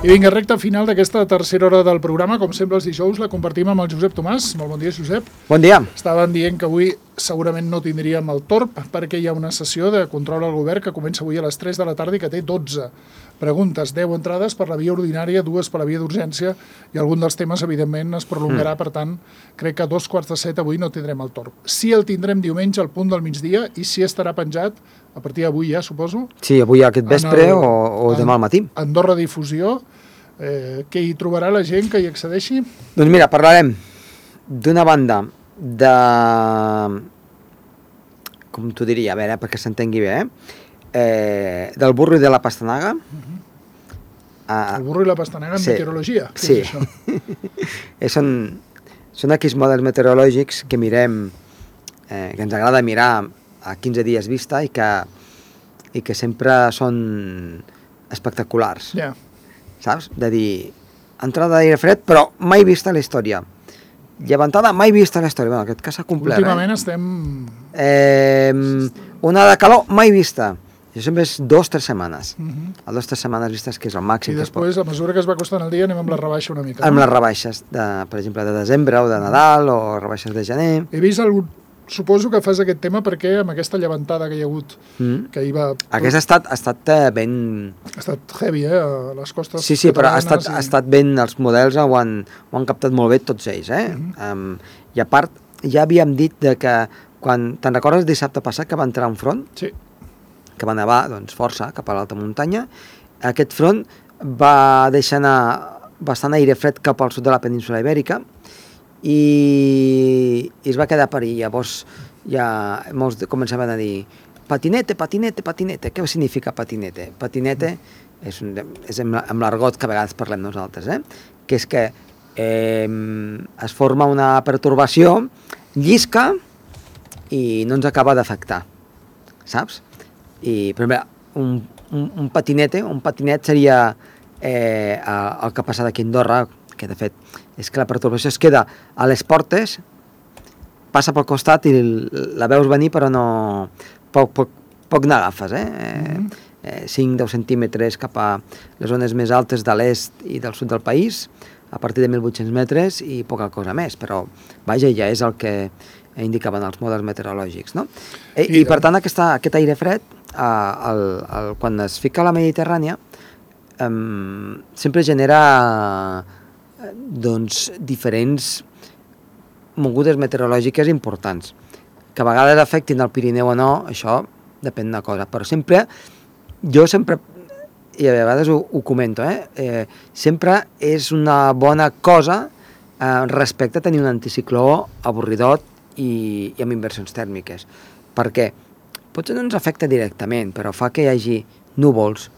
I vinga, recta final d'aquesta tercera hora del programa. Com sempre els dijous la compartim amb el Josep Tomàs. Molt bon dia, Josep. Bon dia. Estaven dient que avui segurament no tindríem el torb perquè hi ha una sessió de control al govern que comença avui a les 3 de la tarda i que té 12 preguntes, 10 entrades per la via ordinària, 2 per la via d'urgència i algun dels temes, evidentment, es prolongarà. Per tant, crec que a 2:45 avui no tindrem el torb. Sí el tindrem diumenge al punt del migdia i sí estarà penjat a partir d'avui ja, suposo. Sí, avui aquest vespre o demà al matí. Andorra Difusió. Què hi trobarà la gent que hi accedeixi? Doncs mira, parlarem d'una banda de... com t'ho diria, a veure, perquè s'entengui bé, del burro i de la pastanaga. El burro i la pastanaga en meteorologia? Sí. Són aquells models meteorològics que mirem, que ens agrada mirar a 15 dies vista i que sempre són espectaculars. Ja. Saps? De dir, entrada d'aire fred, però mai vista a la història. Llevantada, mai vista a la història. Bueno, en aquest cas s'ha complert. Últimament estem... Una de calor, mai vista. Això sempre és 2-3 setmanes. A 2-3 setmanes vistes, que és el màxim. I després, a mesura que es va costant el dia, anem amb la rebaixa una mica. Amb les rebaixes, per exemple, de desembre o de Nadal, o rebaixes de gener. He vist algun... Suposo que fas aquest tema perquè amb aquesta llevantada que hi ha hagut, que hi va... Aquesta ha estat ben... Ha estat heavy, a les costes Sí, però ha estat ben... Els models ho han captat molt bé tots ells, I a part, ja havíem dit que quan... Te'n recordes dissabte passat que va entrar un front? Sí. Que va nevar, doncs, força cap a l'alta muntanya. Aquest front va deixar anar bastant aire fred cap al sud de la península Ibèrica i es va quedar per allà. Llavors ja molts començaven a dir patinete. Què significa patinete? Patinete és amb l'argot que a vegades parlem nosaltres, que és que es forma una pertorbació, llisca i no ens acaba d'afectar, saps? I, per exemple, un patinet seria el que passa d'aquí a Andorra, que de fet és que la pertorbació es queda a les portes, passa pel costat i la veus venir però no... poc n'agafes, 5-10 centímetres cap a les zones més altes de l'est i del sud del país, a partir de 1.800 metres i poca cosa més, però vaja, ja és el que indicaven els models meteorològics, no? I per tant aquest aire fred, quan es fica a la Mediterrània, sempre genera doncs diferents mogudes meteorològiques importants, que a vegades afectin el Pirineu o no, això depèn d'una cosa, però jo sempre, i a vegades ho comento, sempre és una bona cosa respecte a tenir un anticicló avorridot i amb inversions tèrmiques, perquè potser no ens afecta directament, però fa que hi hagi núvols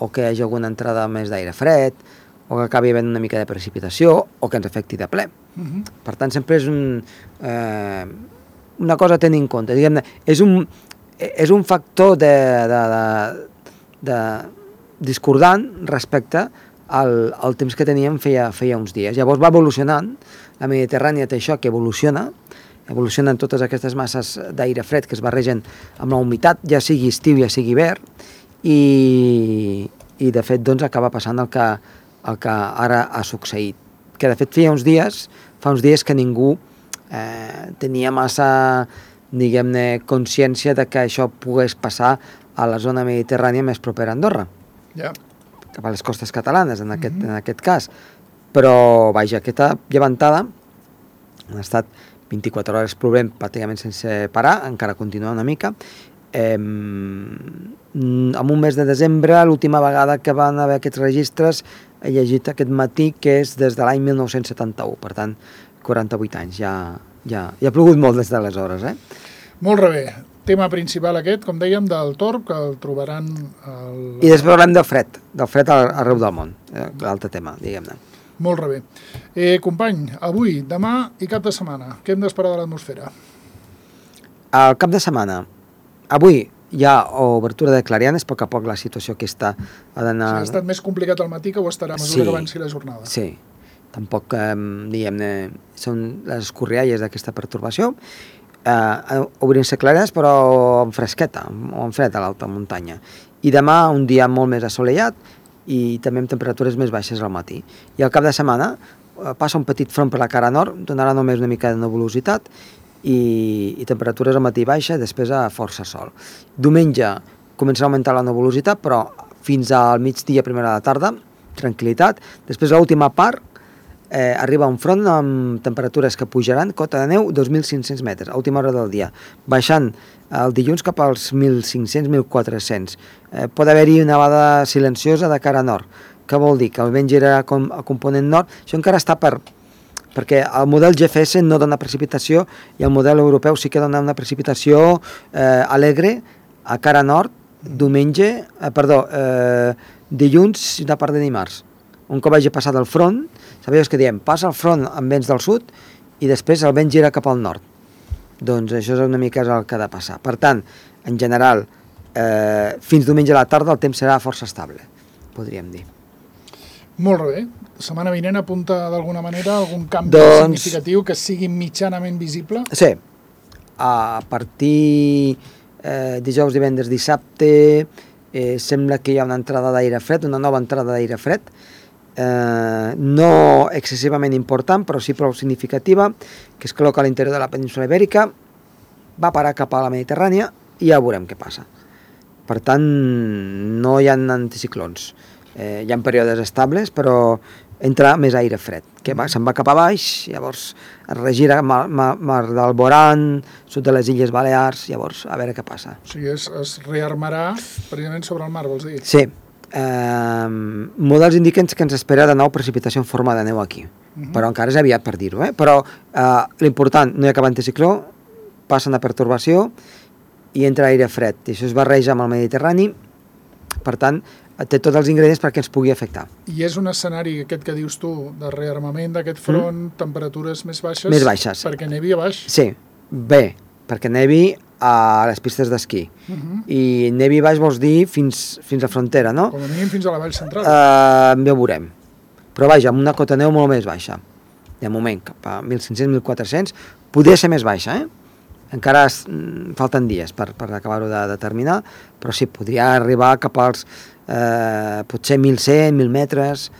o que hi hagi alguna entrada més d'aire fred o que acabi havent una mica de precipitació o que ens afecti de ple. Per tant, sempre és una cosa a tenir en compte. Diguem-ne, és un factor de discordant respecte al temps que teníem feia uns dies. Llavors va evolucionant, la Mediterrània té això que evolucionen totes aquestes masses d'aire fred que es barregen amb la humitat, ja sigui estiu, ja sigui hivern, i de fet doncs acaba passant el que ara ha succeït. Que de fet fa uns dies que ningú tenia massa, diguem-ne, consciència de que això pogués passar a la zona mediterrània més propera a Andorra. Ja. Cap a les costes catalanes, en aquest cas. Però, vaja, aquesta llevantada ha estat 24 hores plovent pràcticament sense parar, encara continua una mica. En un mes de desembre, l'última vegada que van haver aquests registres, he llegit aquest matí que és des de l'any 1971, per tant, 48 anys, ja ha plogut molt des d'aleshores, Molt bé. Tema principal aquest, com dèiem, del torb, que el trobaran... I després parlem del fred arreu del món, l'altre tema, diguem-ne. Molt bé. Company, avui, demà i cap de setmana, què hem d'esperar de l'atmosfera? El cap de setmana, avui hi ha obertura de clarianes, a poc a poc la situació aquesta ha d'anar... Ha estat més complicat al matí que ho estarà a mesura que avanci la jornada. Sí, tampoc, diguem-ne, són les escorrialles d'aquesta pertorbació, obrint-se clarianes però amb fresqueta, o amb fred a l'alta muntanya. I demà un dia molt més assolellat, i també amb temperatures més baixes al matí. I al cap de setmana passa un petit front per la cara nord, donarà només una mica de nebulositat i temperatures al matí baixa, després a força sol. Diumenge començarà a augmentar la nebulositat, però fins al migdia, primera de la tarda, tranquil·litat. Després, l'última part, arriba un front amb temperatures que pujaran, cota de neu, 2.500 metres, a última hora del dia, baixant el dilluns cap als 1.500-1.400. Pot haver-hi una nevada silenciosa de cara nord. Què vol dir? Que el vent gira a component nord. Això encara està perquè el model GFS no dona precipitació i el model europeu sí que dona una precipitació alegre a cara nord, dilluns i una part de dimarts. Un cop hagi passat el front, sabeu que diem, passa el front amb vents del sud i després el vent gira cap al nord. Doncs això és una mica el que ha de passar. Per tant, en general, fins diumenge a la tarda el temps serà força estable, podríem dir. Molt bé. Setmana vinent apunta d'alguna manera algun canvi significatiu que sigui mitjanament visible? Sí. A partir dijous, divendres, dissabte, sembla que hi ha una entrada d'aire fred, una nova entrada d'aire fred, no excessivament important, però sí prou significativa, que es col·loca a l'interior de la península Ibèrica, va parar cap a la Mediterrània i ja veurem què passa. Per tant, no hi ha anticiclons. Hi ha períodes estables, però entra més aire fred, que se'n va cap a baix, llavors es regira mar del Boran, sud de les Illes Balears, llavors a veure què passa. O sigui, es rearmarà precisament sobre el mar, vols dir? Sí. Models indiquen que ens espera de nou precipitació en forma de neu aquí, però encara és aviat per dir-ho, però l'important, no hi ha cap anticicló, passa una pertorbació i entra aire fred, i això es barreja amb el Mediterrani, per tant, té tots els ingredients perquè ens pugui afectar. I és un escenari, aquest que dius tu, de rearmament d'aquest front, temperatures més baixes? Més baixes. Perquè nevi a baix? Sí, bé, perquè nevi a les pistes d'esquí. I nevi baix vols dir fins a frontera, no? Com a mínim fins a la vall central. Ja ho veurem. Però vaja, amb una cota neu molt més baixa. De moment, cap a 1.500-1.400, podria ser més baixa, Encara falten dies per acabar-ho de determinar, però sí, podria arribar cap als potser 1.100, 1.000 metres,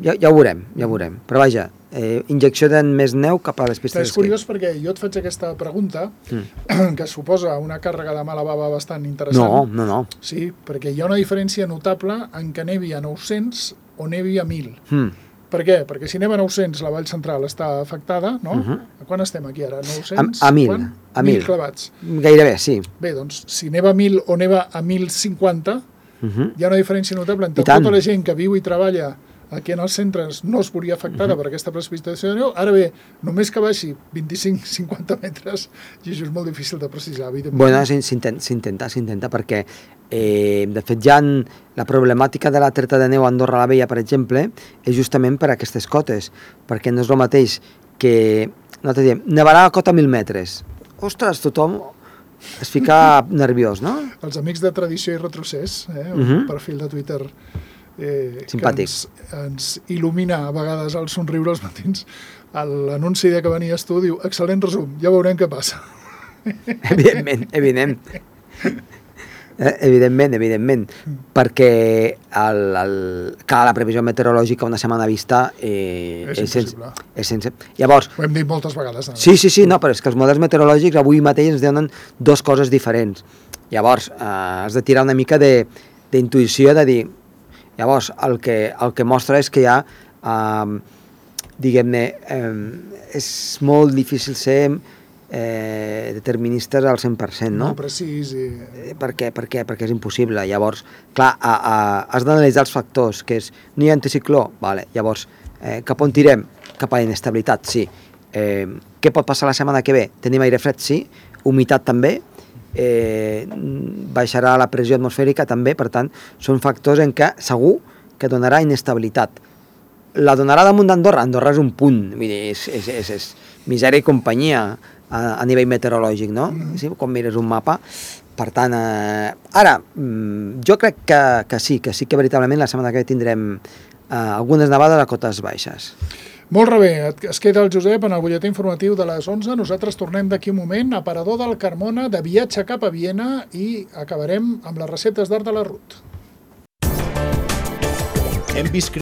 ja ho veurem. Però vaja, injecció de més neu cap a les pistes d'esquí. És curiós perquè jo et faig aquesta pregunta, que suposa una càrrega de mala bava bastant interessant. No. Sí, perquè hi ha una diferència notable en què nevi a 900 o nevi a 1.000. Per què? Perquè si neva a 900 la vall central està afectada, no? A quan estem aquí ara? 900? A 1.000. A 1.000 clavats. Gairebé, sí. Bé, doncs, si neva a 1.000 o neva a 1.050, hi ha una diferència notable entre tota la gent que viu i treballa aquí en els centres no es veuria afectada per aquesta precipitació de neu. Ara bé, només que baixi 25-50 metres, i això és molt difícil de precisar, evidentment. Bueno, s'intenta perquè, de fet, ja la problemàtica de la treta de neu a Andorra la Vella, per exemple, és justament per aquestes cotes, perquè no és el mateix que, nosaltres diem, nevarà a cota 1.000 metres. Ostres, tothom es fica nerviós, no? Els amics de Tradició i Retrocés, un perfil de Twitter simpàtic, que ens il·lumina a vegades al somriure als matins, l'anunci que venies tu diu, excel·lent resum, ja veurem què passa. Evidentment, perquè la previsió meteorològica una setmana vista és impossible. Llavors, ho hem dit moltes vegades. Sí, no, però és que els models meteorològics avui mateix ens donen dues coses diferents. Llavors, has de tirar una mica d'intuïció, de dir, llavors, el que mostra és que hi ha, diguem-ne, és molt difícil ser deterministes al 100%, no? No precís. Per què? Perquè és impossible. Llavors, clar, has d'analitzar els factors, que és, no hi ha anticicló, vale. Llavors, cap on tirem? Cap a inestabilitat, sí. Què pot passar la setmana que ve? Tenim aire fred, sí. Humitat també. Baixarà la pressió atmosfèrica també, per tant, són factors en què segur que donarà inestabilitat. La donarà damunt d'Andorra? Andorra és un punt, vull dir, és misèria i companyia a nivell meteorològic, no? Sí, quan mires un mapa. Per tant, ara, jo crec que sí que veritablement la setmana que ve tindrem algunes nevades a cotes baixes. Molt bé, es queda el Josep en el butlletí informatiu de les 11. Nosaltres tornem d'aquí un moment a Parador del Carmona, de viatge cap a Viena, i acabarem amb les receptes d'art de la Ruth. Hem vist